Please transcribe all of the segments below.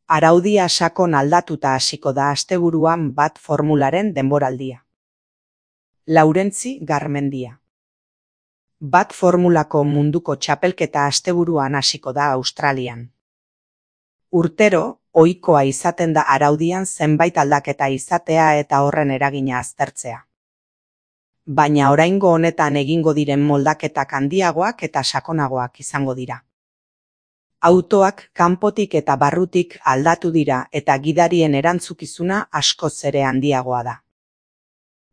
Araudia sakon aldatuta hasiko da asteburuan bat formularen denboraldia. Laurentzi Garmendia. Bat formulako munduko txapelketa asteburuan hasiko da Australian. Urtero, ohikoa izaten da araudian zenbait aldaketa izatea eta horren eragina aztertzea. Baina oraingo honetan egingo diren moldaketak handiagoak eta sakonagoak izango dira. Autoak kanpotik eta barrutik aldatu dira eta gidarien erantzukizuna askoz ere handiagoa da.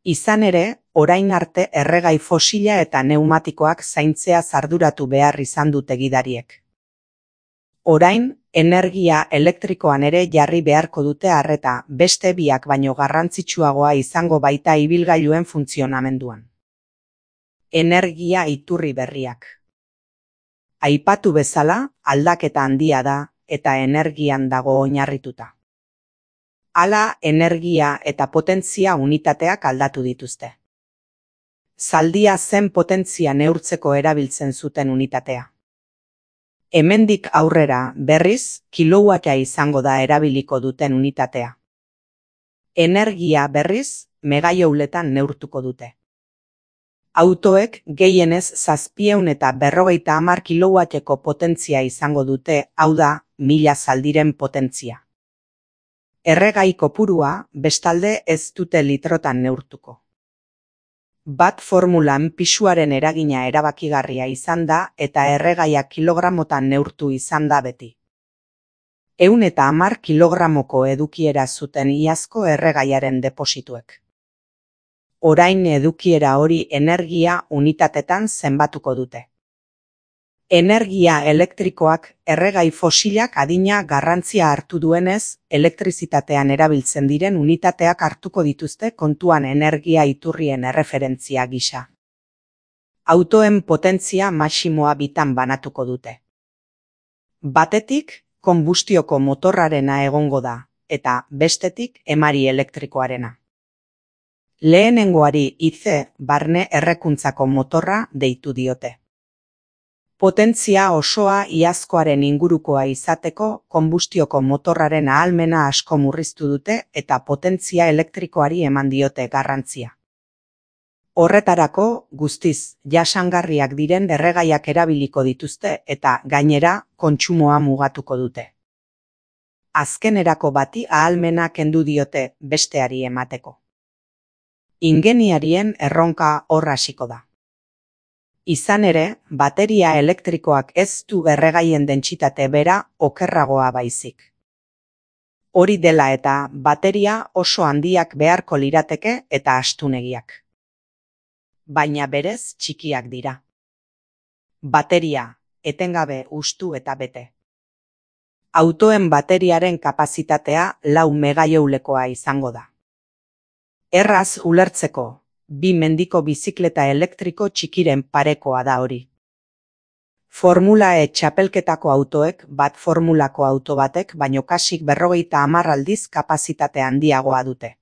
Izan ere, orain arte erregai fosila eta pneumatikoak zaintzea arduratu behar izan dute gidariek. Orain, energia elektrikoan ere jarri beharko dute arreta, beste biak baino garrantzitsuagoa izango baita ibilgailuen funtzionamenduan. Energia iturri berriak. Aipatu bezala, aldaketa handia da eta energian dago oinarrituta. Hala, energia eta potentzia unitateak aldatu dituzte. Zaldia zen potentzia neurtzeko erabiltzen zuten unitatea. Hemendik aurrera, berriz, kilowattia izango da erabiliko duten unitatea. Energia berriz, megajouletan neurtuko dute. Autoek gehienez 750 kilowatteko potentzia izango dute, hau da, 1000 zaldiren potentzia. Erregai kopurua, bestalde ez dute litrotan neurtuko. Bat formulan pisuaren eragina erabakigarria izan da eta erregaia kilogramotan neurtu izan da beti. 110 kilogramoko edukiera zuten iazko erregaiaren deposituek. Orain edukiera hori energia unitatetan zenbatuko dute. Energia elektrikoak erregai fosilak adina garrantzia hartu duenez, elektrizitatean erabiltzen diren unitateak hartuko dituzte kontuan energia iturrien erreferentzia gisa. Autoen potentzia maximoa bitan banatuko dute. Batetik, konbustioko motorrarena egongo da, eta bestetik emari elektrikoarena. Lehenengoari IC, barne errekuntzako motorra, deitu diote. Potentzia osoa iazkoaren ingurukoa izateko konbustioko motorraren ahalmena asko murriztu dute eta potentzia elektrikoari eman diote garrantzia. Horretarako, guztiz, jasangarriak diren erregaiak erabiliko dituzte eta, gainera, kontsumoa mugatuko dute. Azkenerako bati ahalmena kendu diote besteari emateko. Ingeniarien erronka hor hasiko da. Izan ere, bateria elektrikoak ez du erregaien dentsitate bera okerragoa baizik. Hori dela eta bateria oso handiak beharko lirateke eta astunegiak. Baina berez txikiak dira. Bateria, etengabe hustu eta bete. Autoen bateriaren kapazitatea 4 megajoulekoa izango da. Erraz ulertzeko, 2 mendiko bizikleta elektriko txikiren parekoa da hori. Formula E txapelketako autoek bat formulako auto batek baino kasik 50 aldiz kapazitate handiagoa dute.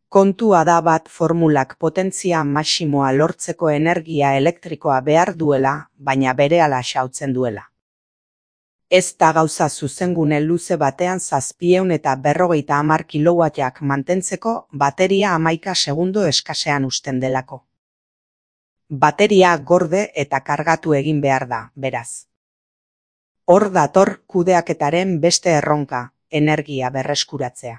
Kontua da bat formulak potentzia maximoa lortzeko energia elektrikoa behar duela, baina berehala xautzen duela. Ez da gauza zuzengune luze batean 750 kilowattiak mantentzeko bateria 11 segundo eskasean usten delako. Bateria gorde eta kargatu egin behar da, beraz. Hor dator kudeaketaren beste erronka, energia berreskuratzea.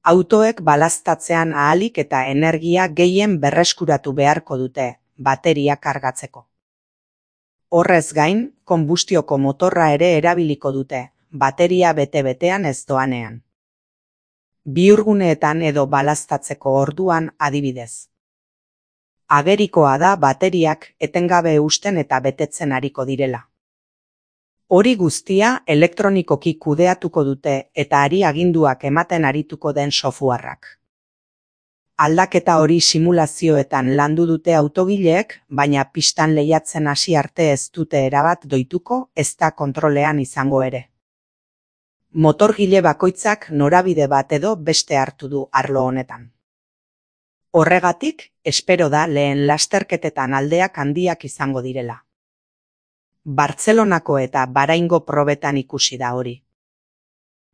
Autoek balaztatzean ahalik eta energia gehien berreskuratu beharko dute, bateria kargatzeko. Horrez gain, konbustioko motorra ere erabiliko dute, bateria bete-betean ez doanean. Bihurguneetan edo balaztatzeko orduan adibidez. Agerikoa da bateriak etengabe husten eta betetzen ariko direla. Hori guztia elektronikoki kudeatuko dute eta ari aginduak ematen arituko den softwareak. Aldaketa hori simulazioetan landu dute autogileek, baina pistan lehiatzen hasi arte ez dute erabat doituko, ez da kontrolean izango ere. Motorgile bakoitzak norabide bat edo beste hartu du arlo honetan. Horregatik, espero da lehen lasterketetan aldeak handiak izango direla. Bartzelonako eta Bahraingo probetan ikusi da hori.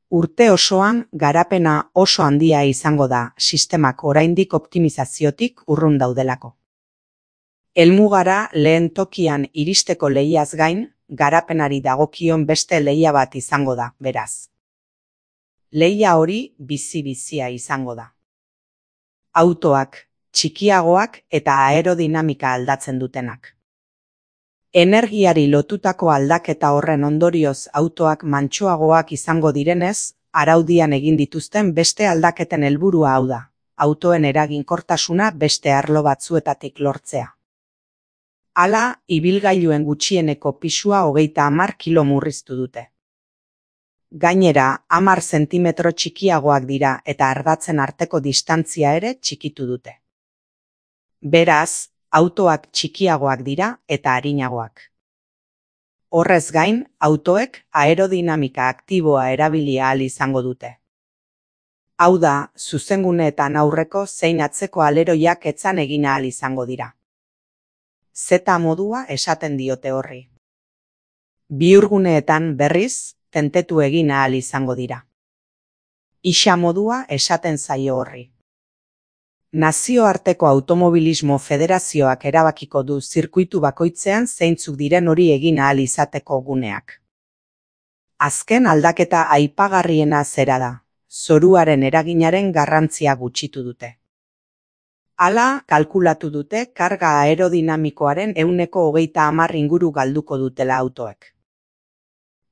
Urte osoan garapena oso handia izango da sistemak oraindik optimizaziotik urrun daudelako. Helmugara lehen tokian iristeko lehiaz gain, garapenari dagokion beste lehia bat izango da, beraz. Lehia hori bizi-bizia izango da. Autoak, txikiagoak eta aerodinamika aldatzen dutenak. Energiari lotutako aldaketa horren ondorioz autoak mantsoagoak izango direnez, araudian egin dituzten beste aldaketen helburua hau da, autoen eraginkortasuna beste arlo batzuetatik lortzea. Hala, ibilgailuen gutxieneko pisua 30 kilo murriztu dute. Gainera, 10 zentimetro txikiagoak dira eta ardatzen arteko distantzia ere txikitu dute. Beraz, autoak txikiagoak dira eta arinagoak. Horrez gain, autoek aerodinamika aktiboa erabili ahal izango dute. Hau da, zuzenguneetan aurreko zein atzeko aleroiak etzan egin ahal izango dira. Z modua esaten diote horri. Bihurguneetan berriz, tentetu egin ahal izango dira. Ixa modua esaten zaio horri. Nazioarteko Automobilismo Federazioak erabakiko du zirkuitu bakoitzean zeintzuk diren hori egin ahal izateko guneak. Azken aldaketa aipagarriena zera da, zoruaren eraginaren garrantzia gutxitu dute. Hala, kalkulatu dute karga aerodinamikoaren 30% inguru galduko dutela autoek.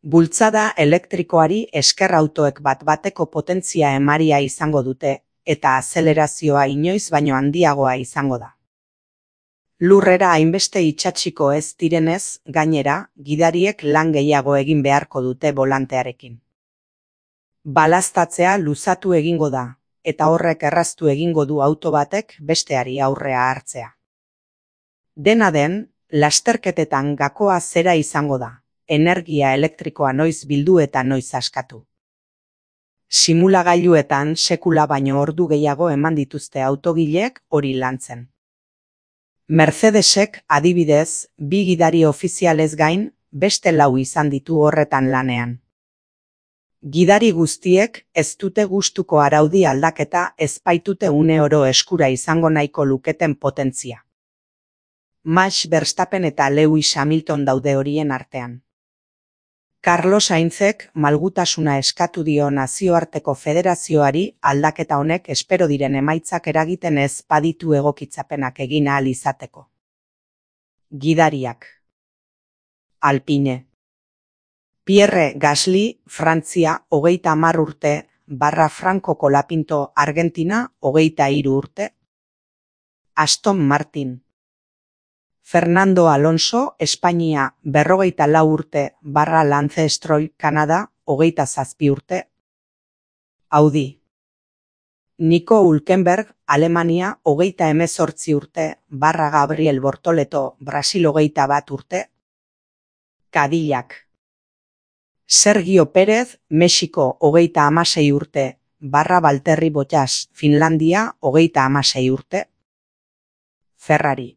Bultzada elektrikoari esker autoek bat-bateko potentzia emaria izango dute, eta azelerazioa inoiz baino handiagoa izango da. Lurrera hainbeste itsatsiko ez direnez, gainera, gidariek lan gehiago egin beharko dute bolantearekin. Balaztatzea luzatu egingo da, eta horrek erraztu egingo du auto batek besteari aurrea hartzea. Dena den, lasterketetan gakoa zera izango da, energia elektrikoa noiz bildu eta noiz askatu. Simulagailuetan sekula baino ordu gehiago eman dituzte autogileek hori lantzen. Mercedesek adibidez, 2 gidari ofizialez gain, beste 4 izan ditu horretan lanean. Gidari guztiek ez dute gustuko araudi aldaketa ez baitute une oro eskura izango nahiko luketen potentzia. Max Verstappen eta Lewis Hamilton daude horien artean. Carlos Sainzek malgutasuna eskatu dio nazioarteko federazioari aldaketa honek espero diren emaitzak eragiten ez baditu egokitzapenak egin ahal izateko. Gidariak. Alpine. Pierre Gasly, Frantzia, 30 urte, Franco Colapinto, Argentina, 23 urte. Aston Martin. Fernando Alonso, Espainia, 44 urte, Lance Stroll, Kanada, 27 urte. Audi. Nico Hülkenberg, Alemania, 38 urte, Gabriel Bortoleto, Brasil, 21 urte. Cadillac. Sergio Pérez, Mexiko, 36 urte, Valtteri Bottas, Finlandia, 36 urte. Ferrari.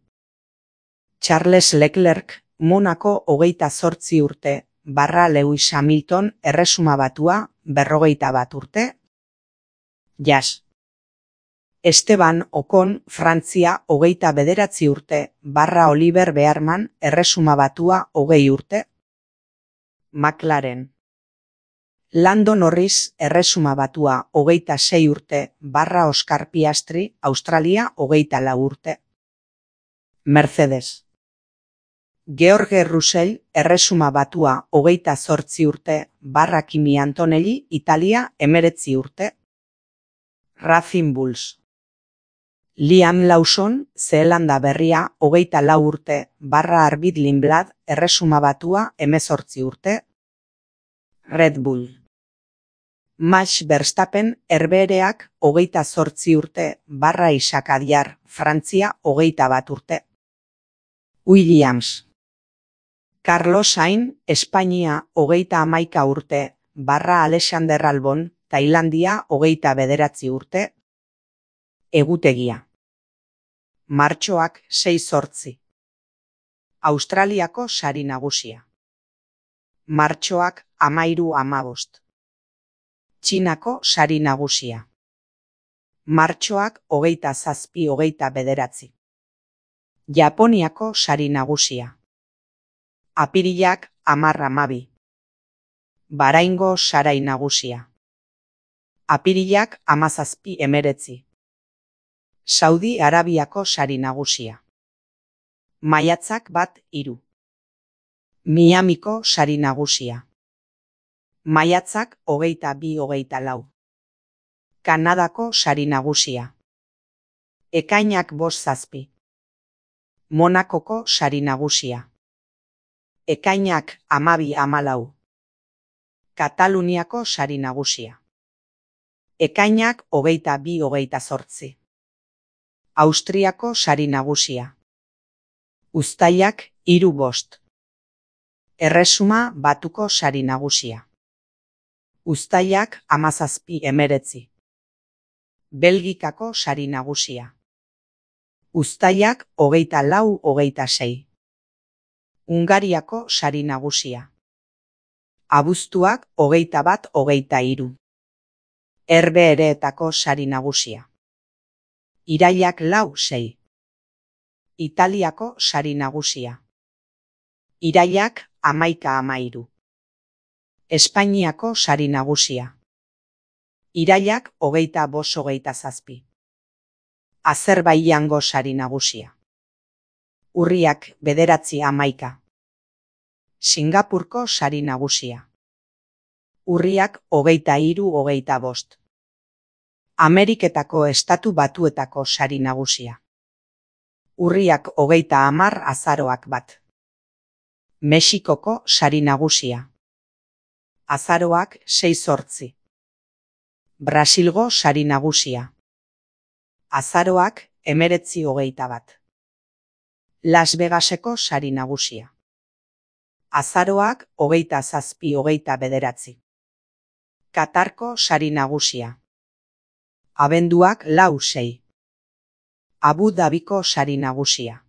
Charles Leclerc, Monaco, 28 urte, Lewis Hamilton, Erresuma Batua, 41 urte. Jazz. Esteban Ocon, Frantzia, 29 urte, Oliver Bearman, Erresuma Batua, 20 urte. McLaren. Lando Norris, Erresuma Batua, 26 urte, Oscar Piastri, Australia, 24 urte. Mercedes. George Russell, Erresuma Batua, 28 urte, Kimi Antonelli, Italia, 19 urte. Racing Bulls. Liam Lawson, Zeelanda Berria, 24 urte, Arvid Lindblad, Erresuma Batua, 18 urte. Red Bull. Max Verstappen, Herbehereak, 28 urte, Isaac Adjar, Frantzia, 21 urte. Williams. Carlos Sainz, Espainia, 31 urte, Alexander Albon, Tailandia, 29 urte. Egutegia. Martxoak 6-8. Australiako sari nagusia. Martxoak 13-15. Txinako sari nagusia. Martxoak 27-29. Japoniako sari nagusia. Apirilak 10-12. Bahraingo sarai nagusia. Apirilak 17-19. Saudi Arabiako sari nagusia. Maiatzak 1-3. Miamiko sari nagusia. Maiatzak 22-24. Kanadako sari nagusia. Ekainak 5-7. Monakoko sari nagusia. Ekainak 12-14. Kataluniako sari nagusia. Ekainak 22-28. Austriako sari nagusia. Uztailak 3-5. Erresuma Batuko sari nagusia. Uztailak 17-19. Belgikako sari nagusia. Uztailak 24-26. Hungariako sari nagusia. Abuztuak 21-23. Herbehereetako sari nagusia. Irailak 4-6. Italiako sari nagusia. Irailak 11-13. Espainiako sari nagusia. Irailak 25-27. Azerbaijango sari nagusia. Urriak 9-11. Singapurko sari nagusia. Urriak 23-25. Ameriketako Estatu Batuetako sari nagusia. Urriak 30 azaroak 1. Mexikoko sari nagusia. Azaroak 6-8. Brasilgo sari nagusia. Azaroak 19-21. Las Vegaseko sari nagusia. Azaroak 27-29. Katarko sari nagusia. Abenduak 4-6. Abu Dabiko sari nagusia.